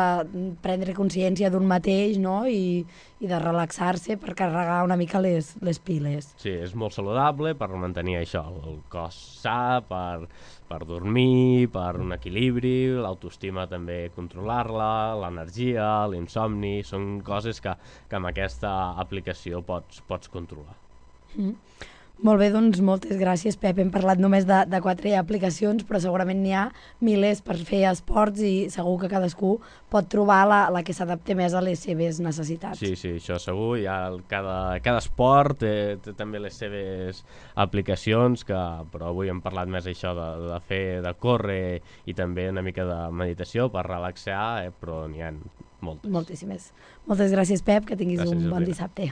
prendre consciència d'un mateix, no?, i de relaxar-se per carregar una mica les piles.
Sí, és molt saludable per mantenir això, el cos sa, per dormir, per un equilibri, l'autoestima també controlar-la, l'energia, l'insomni, són coses que amb aquesta aplicació pots controlar.
Molt bé, doncs moltes gràcies, Pep. Hem parlat només de 4 aplicacions, però segurament n'hi ha milers per fer esports i segur que cadascú pot trobar la que s'adapti més a les seves necessitats.
Sí, això segur. Cada esport té també les seves aplicacions, però avui hem parlat més això de córrer i també una mica de meditació per relaxar, però n'hi ha moltes.
Moltíssimes. Moltes gràcies, Pep, que tinguis un bon dissabte.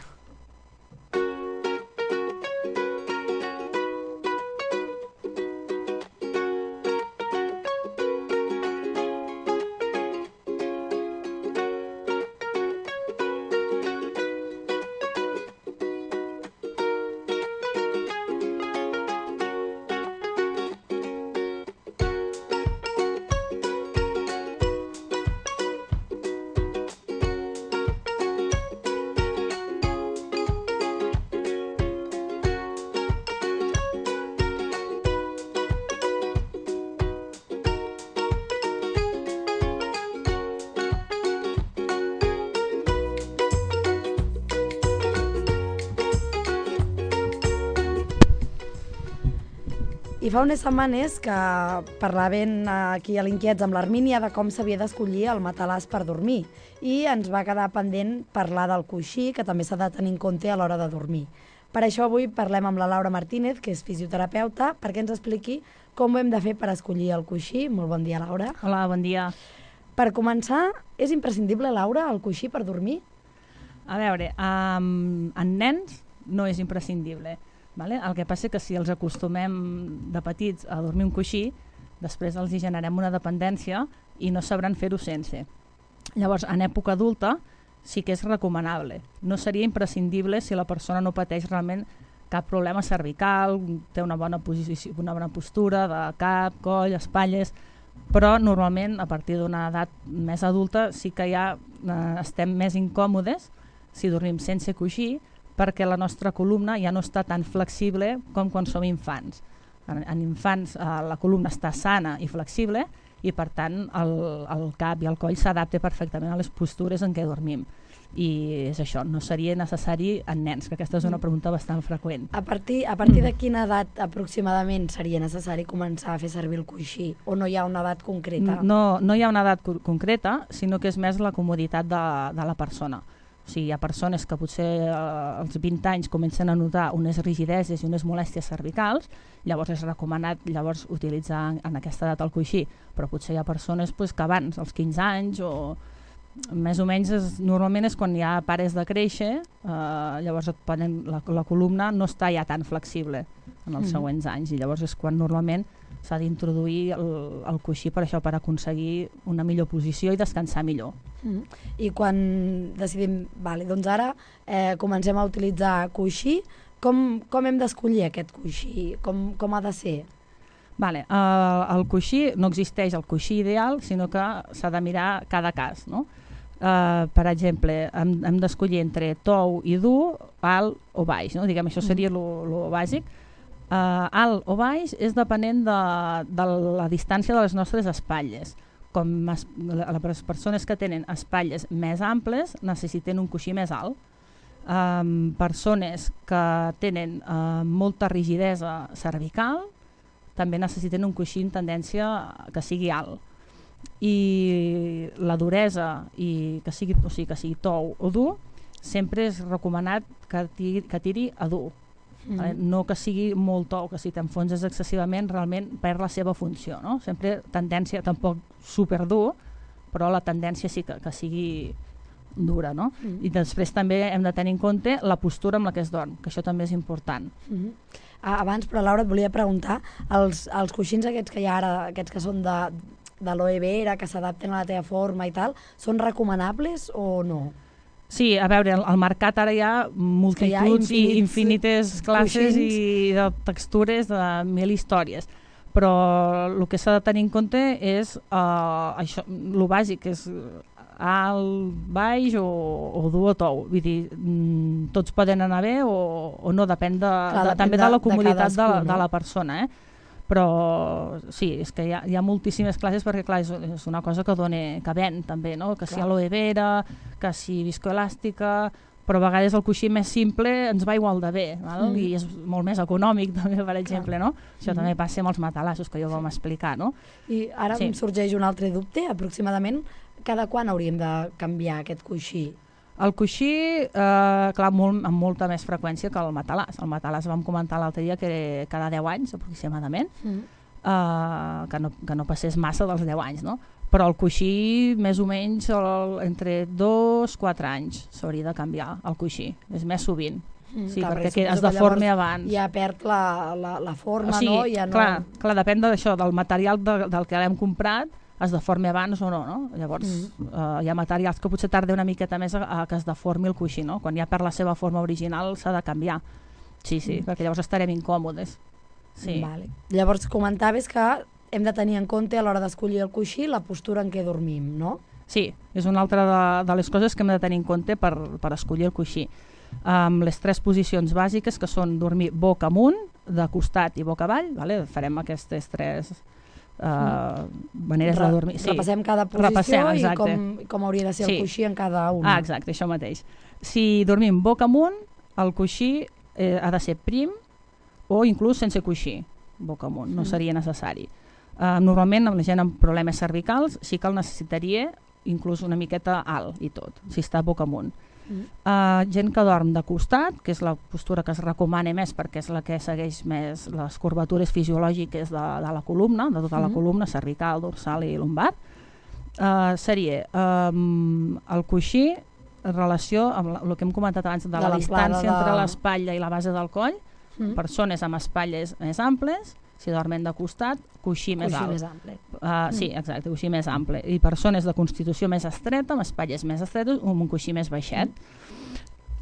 I fa unes setmanes que parlaven aquí a l'Inquiets amb l'Armínia de com s'havia d'escollir el matalàs per dormir i ens va quedar pendent parlar del coixí, que també s'ha de tenir en compte a l'hora de dormir. Per això avui parlem amb la Laura Martínez, que és fisioterapeuta, perquè ens expliqui com ho hem de fer per escollir el coixí. Molt bon dia, Laura.
Hola, bon dia.
Per començar, és imprescindible, Laura, el coixí per dormir?
A veure, en nens no és imprescindible. Vale? El que passa és que si els acostumem de petits a dormir un coixí, després els hi generem una dependència i no sabran fer-ho sense. Llavors, en època adulta sí que és recomanable. No seria imprescindible si la persona no pateix realment cap problema cervical, té una bona posició, una bona postura de cap, coll, espatlles, però normalment a partir d'una edat més adulta sí que ja estem més incòmodes si dormim sense coixí, perquè la nostra columna ja no està tan flexible com quan som infants. En infants la columna està sana i flexible i per tant el cap i el coll s'adapta perfectament a les postures en què dormim. I és això, no seria necessari en nens, que aquesta és una pregunta bastant freqüent.
A partir de quina edat aproximadament seria necessari començar a fer servir el coixí? O no hi ha una edat concreta?
No hi ha una edat concreta, sinó que és més la comoditat de la persona. O sigui, hi ha persones que potser als 20 anys comencen a notar unes rigideses i unes molèsties cervicals, llavors és recomanat utilitzar en aquesta edat el coixí, però potser hi ha persones que abans, als 15 anys o més o menys normalment és quan ja pares de créixer, llavors la columna no està ja tan flexible en els següents anys i llavors és quan normalment s'ha d'introduir el coixí per això, per aconseguir una millor posició i descansar millor.
I quan decidim, doncs ara comencem a utilitzar coixí, com hem d'escollir aquest coixí? Com ha de ser?
El coixí, no existeix el coixí ideal, sinó que s'ha de mirar cada cas, no? Per exemple, hem d'escollir entre tou i dur, alt o baix, no? Diguem, això seria lo bàsic. Alt o baix és depenent de la distància de les nostres espatlles. Com les persones que tenen espatlles més amples necessiten un coixí més alt. Persones que tenen molta rigidesa cervical també necessiten un coixí en tendència que sigui alt. I la duresa, que sigui tou o dur, sempre és recomanat que tiri a dur. No que sigui molt tou, que si t'enfonses excessivament realment perd la seva funció, no? Sempre tendència, tampoc superdur, però la tendència sí que sigui dura, no? I després també hem de tenir en compte la postura amb la que es dorm, que això també és important.
Abans, però Laura, et volia preguntar, els coixins aquests que hi ha ara, aquests que són de l'aloe vera, que s'adapten a la teva forma i tal, són recomanables o no?
Sí, a veure, al mercat ara hi ha multituds i infinites classes i de textures de 1000 històries, però el que s'ha de tenir en compte és això, el bàsic, és alt, baix o dur o tou. Vull dir, tots poden anar bé o no, depèn també de la comoditat de la persona, però sí, és que hi ha moltíssimes classes perquè clar, és una cosa que ven també, no? Que si aloe vera, que si viscoelàstica, però a vegades el coixí més simple ens va igual de bé, i és molt més econòmic també, per exemple, no? Això també passa amb els matalassos que ja ho vam explicar, no?
I ara em sorgeix un altre dubte, aproximadament cada quan hauríem de canviar aquest coixí?
El coixí, clar, amb molta més freqüència que el matalàs. El matalàs vam comentar l'altre dia que cada 10 anys, aproximadament, que no passés massa dels 10 anys, no? Però el coixí, més o menys, entre 2-4 anys s'hauria de canviar el coixí. És més sovint. Sí, perquè es deformi abans.
Ja perd la forma, no?
Clar, depèn d'això, del material del que l'hem comprat, es deformi abans o no, no? Llavors, hi ha materials que potser tarda una miqueta més a que es deformi el coixí, no? Quan ja perd la seva forma original s'ha de canviar. Sí, perquè llavors estarem incòmodes. Sí.
Vale. Llavors comentaves que hem de tenir en compte a l'hora d'escollir el coixí la postura en què dormim, no?
Sí, és una altra de les coses que hem de tenir en compte per escollir el coixí. Les 3 posicions bàsiques, que són dormir boca amunt, de costat i boca avall, vale? Farem aquestes 3 maneres de dormir. Sí.
Repassem cada posició i com hauria de ser el coixí en cada una.
Exacte, això mateix. Si dormim boca amunt, el coixí ha de ser prim o inclús sense coixí, boca amunt, no seria necessari. Normalment amb la gent amb problemes cervicals sí que el necessitaria inclús una miqueta alt i tot, si està boca amunt. Gent que dorm de costat, que és la postura que es recomana més perquè és la que segueix més les curvatures fisiològiques de la columna, de tota la columna, cervical, dorsal i lumbar, seria el coixí en relació amb el que hem comentat abans de la distància entre l'espatlla i la base del coll. Persones amb espatlles més amples, si dormen de costat, coixí més alt. Sí, exacte, coixí més ample. I persones de constitució més estreta, amb espatlles més estretes, amb un coixí més baixet.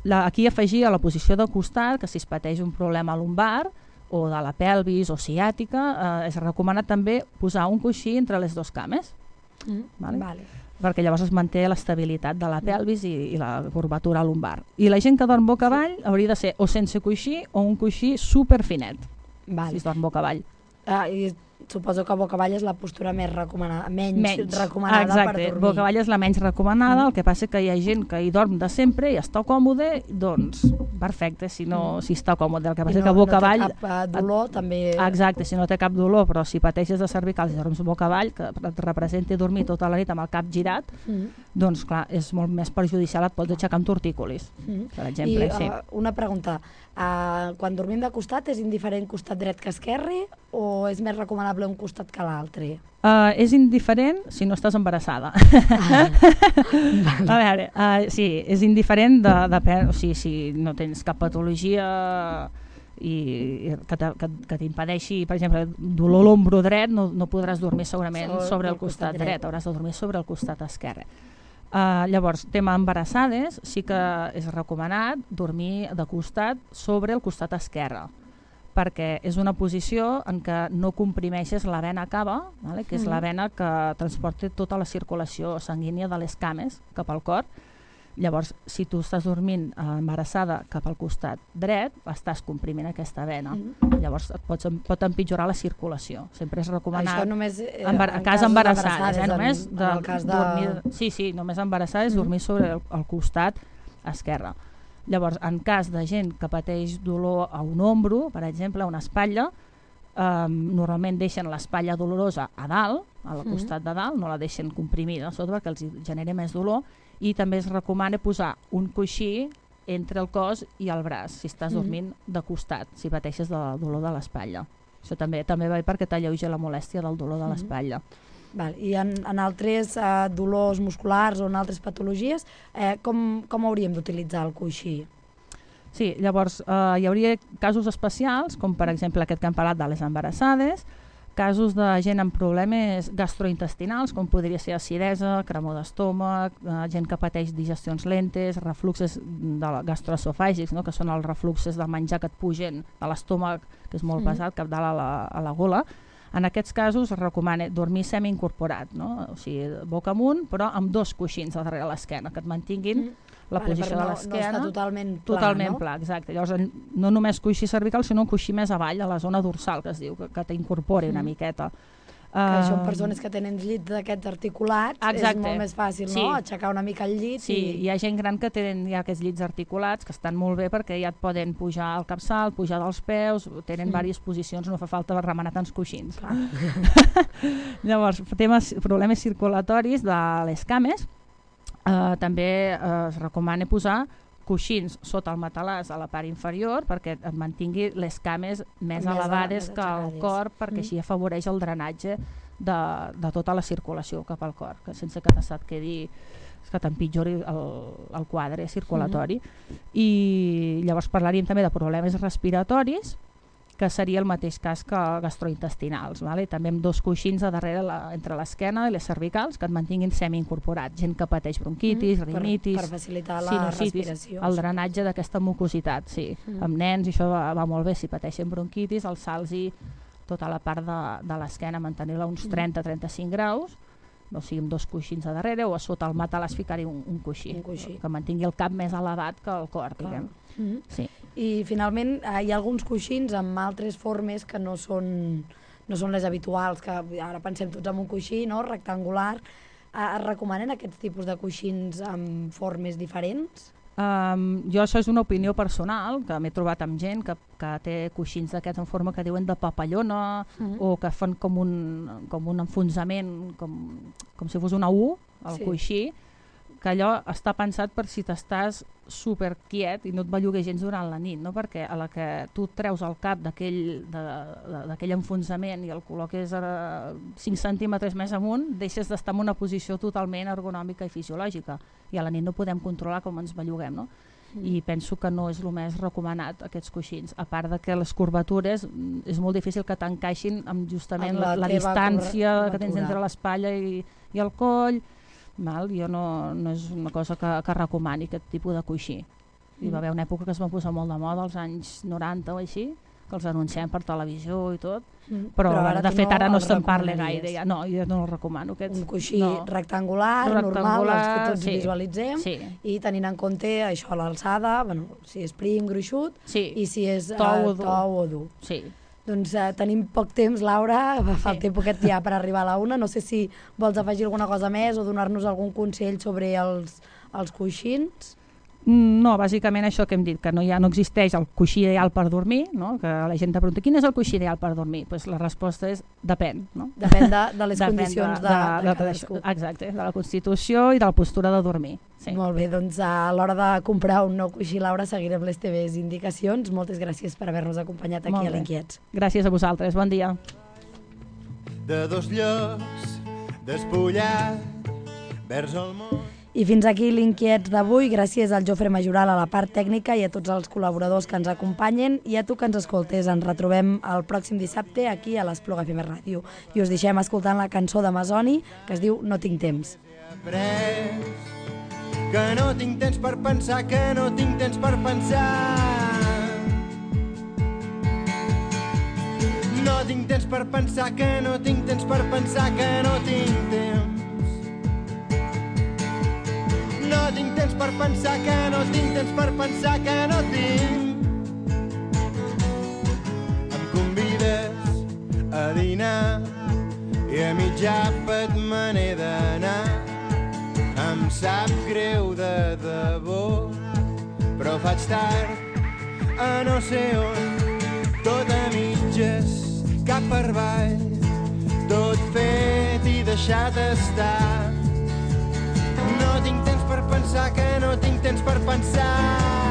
Aquí afegir a la posició de costat, que si es pateix un problema lumbar o de la pelvis o ciàtica, és recomanat també posar un coixí entre les 2 cames. Perquè llavors es manté l'estabilitat de la pelvis i la curvatura lumbar. I la gent que dorm boca avall hauria de ser o sense coixí o un coixí superfinet. Si es dorm boca avall.
I suposo que boca avall és la postura més recomanada, menys recomanada per dormir.
Boca avall és la menys recomanada, el que passa que hi ha gent que hi dorm de sempre i està còmode, doncs perfecte, si està còmode. El que passa que boca avall...
No té cap dolor, també...
Exacte, si no té cap dolor, però si pateixes de cervicals i dorms boca avall, que et representi dormir tota la nit amb el cap girat, doncs clar, és molt més perjudicial, et pots aixecar amb tortícolis, per exemple.
I una pregunta, quan dormim de costat és indiferent costat dret que esquerre o és més recomanable un costat que l'altre?
És indiferent si no estàs embarassada. A veure, sí, és indiferent si no tens cap patologia que t'impedeixi, per exemple, dolor a l'ombro dret, no podràs dormir segurament sobre el costat dret, hauràs de dormir sobre el costat esquerre. Llavors, tema embarassades, sí que és recomanat dormir de costat sobre el costat esquerre, perquè és una posició en què no comprimeixes la vena cava, que és la vena que transporta tota la circulació sanguínia de les cames cap al cor. Llavors, si tu estàs dormint embarassada cap al costat dret, estàs comprimint aquesta vena. Llavors pot empitjorar la circulació. Sempre és recomanat...
Això només
en cas embarassades, només dormir... Sí, només embarassades dormir sobre el costat esquerre. Llavors, en cas de gent que pateix dolor a un ombro, per exemple, a una espatlla, normalment deixen l'espatlla dolorosa a dalt, al costat de dalt, no la deixen comprimida a sota perquè els genera més dolor, i també es recomana posar un coixí entre el cos i el braç, si estàs dormint de costat, si pateixes de dolor de l'espatlla. Això també va perquè t'alleuja la molèstia del dolor de l'espatlla.
I en altres dolors musculars o en altres patologies, com hauríem d'utilitzar el coixí?
Sí, llavors hi hauria casos especials, com per exemple aquest que hem parlat de les embarassades, casos de gent amb problemes gastrointestinals, com podria ser acidesa, cremor d'estómac, gent que pateix digestions lentes, refluxes gastroesofàgics, que són els refluxes del menjar que et pugen de l'estómac, que és molt pesat, cap dalt a la gola. En aquests casos es recomana dormir semi-incorporat, no? O sigui, boca amunt, però amb 2 coixins a darrere l'esquena, que et mantinguin la posició de l'esquena.
No està totalment pla,
totalment
no?
Pla, exacte. Llavors, no només coixí cervical, sinó un coixí més avall, a la zona dorsal, que es diu, que t'incorpori una miqueta.
Que això en persones que tenen llits d'aquests articulats és molt més fàcil, no? Aixecar una mica el llit.
Sí, hi ha gent gran que tenen ja aquests llits articulats que estan molt bé perquè ja et poden pujar al capçal, pujar dels peus, tenen diverses posicions, no fa falta remenar tants coixins. Llavors, problemes circulatoris de les cames, també es recomana posar coixins sota el matalàs a la part inferior perquè et mantingui les cames més elevades que el cor, perquè així afavoreix el drenatge de tota la circulació cap al cor, que sense que et quedi que t'empitjori el quadre circulatori. I llavors parlaríem també de problemes respiratoris, que seria el mateix cas que gastrointestinals, vale? També amb 2 coixins a darrere entre l'esquena i les cervicals que et mantinguin semi-incorporats. Gent que pateix bronquitis, rinitis,
per facilitar la respiració.
El drenatge d'aquesta mucositat, sí. Amb nens això va molt bé, si pateixen bronquitis, alçar-los tota la part de l'esquena, mantenir-la uns 30-35 graus, o sigui, amb 2 coixins a darrere, o a sota el matalàs ficar-hi un coixí, que mantingui el cap més elevat que el cor, diguem. Sí.
I finalment hi ha alguns coixins amb altres formes que no són les habituals, que ara pensem tots en un coixí, no? Rectangular. Es recomanen aquests tipus de coixins amb formes diferents?
Jo això és una opinió personal, que m'he trobat amb gent que té coixins d'aquests en forma que diuen de papallona, o que fan com un enfonsament, com si fos una U, el coixí, que allò està pensat per si t'estàs super quiet i no et belluguer gens durant la nit, no? Perquè a la que tu treus el cap d'aquell enfonsament i el col·loques 5 centímetres més amunt, deixes d'estar en una posició totalment ergonòmica i fisiològica, i a la nit no podem controlar com ens belluguem, no? I penso que no és el més recomanat aquests coixins, a part de que les curvatures és molt difícil que t'encaixin amb justament la distància que tens entre l'espatlla i el coll. Jo no és una cosa que recomani aquest tipus de coixí. Hi va haver una època que es va posar molt de moda, als anys 90 o així, que els anunciem per televisió i tot, però de fet ara no se'n parla gaire. No, jo no el recomano.
Un coixí rectangular, normal, els que tots visualitzem, i tenint en compte això, l'alçada, si és prim, gruixut, i si és tou o dur.
Sí.
Doncs tenim poc temps, Laura, falta poquet ja per arribar a la 1. No sé si vols afegir alguna cosa més o donar-nos algun consell sobre els coixins.
No, bàsicament això que hem dit, que no existeix el coixí ideal per dormir, no? Que la gent te pregunta quin és el coixí ideal per dormir? Pues la resposta és depèn. No?
Depèn de les condicions de cadascú.
Exacte, de la constitució i de la postura de dormir. Sí.
Molt bé, doncs a l'hora de comprar un nou coixí, Laura, seguirem les teves indicacions. Moltes gràcies per haver-nos acompanyat aquí a l'Inquiets.
Gràcies a vosaltres, bon dia.
De 2 llocs despullat vers el món.
I fins aquí l'Inquiets d'avui. Gràcies al Jofre Majoral a la part tècnica i a tots els col·laboradors que ens acompanyen, i a tu que ens escoltes. Ens retrobem el pròxim dissabte aquí a l'Espluga FM Ràdio. I us deixem escoltant la cançó d'Amazoni que es diu No tinc temps.
Que no tinc temps per pensar, que no tinc temps per pensar. No tinc temps per pensar, que no tinc temps per pensar, que no tinc temps. No tinc temps per pensar, que no tinc temps per pensar, que no tinc. Em convides a dinar i a mitjà àpat me n'he d'anar. Em sap greu de debò, però faig tard a no sé on, tot a mitges, cap per avall, tot fet i deixat estar. No tinc temps per pensar, que no tinc temps per pensar.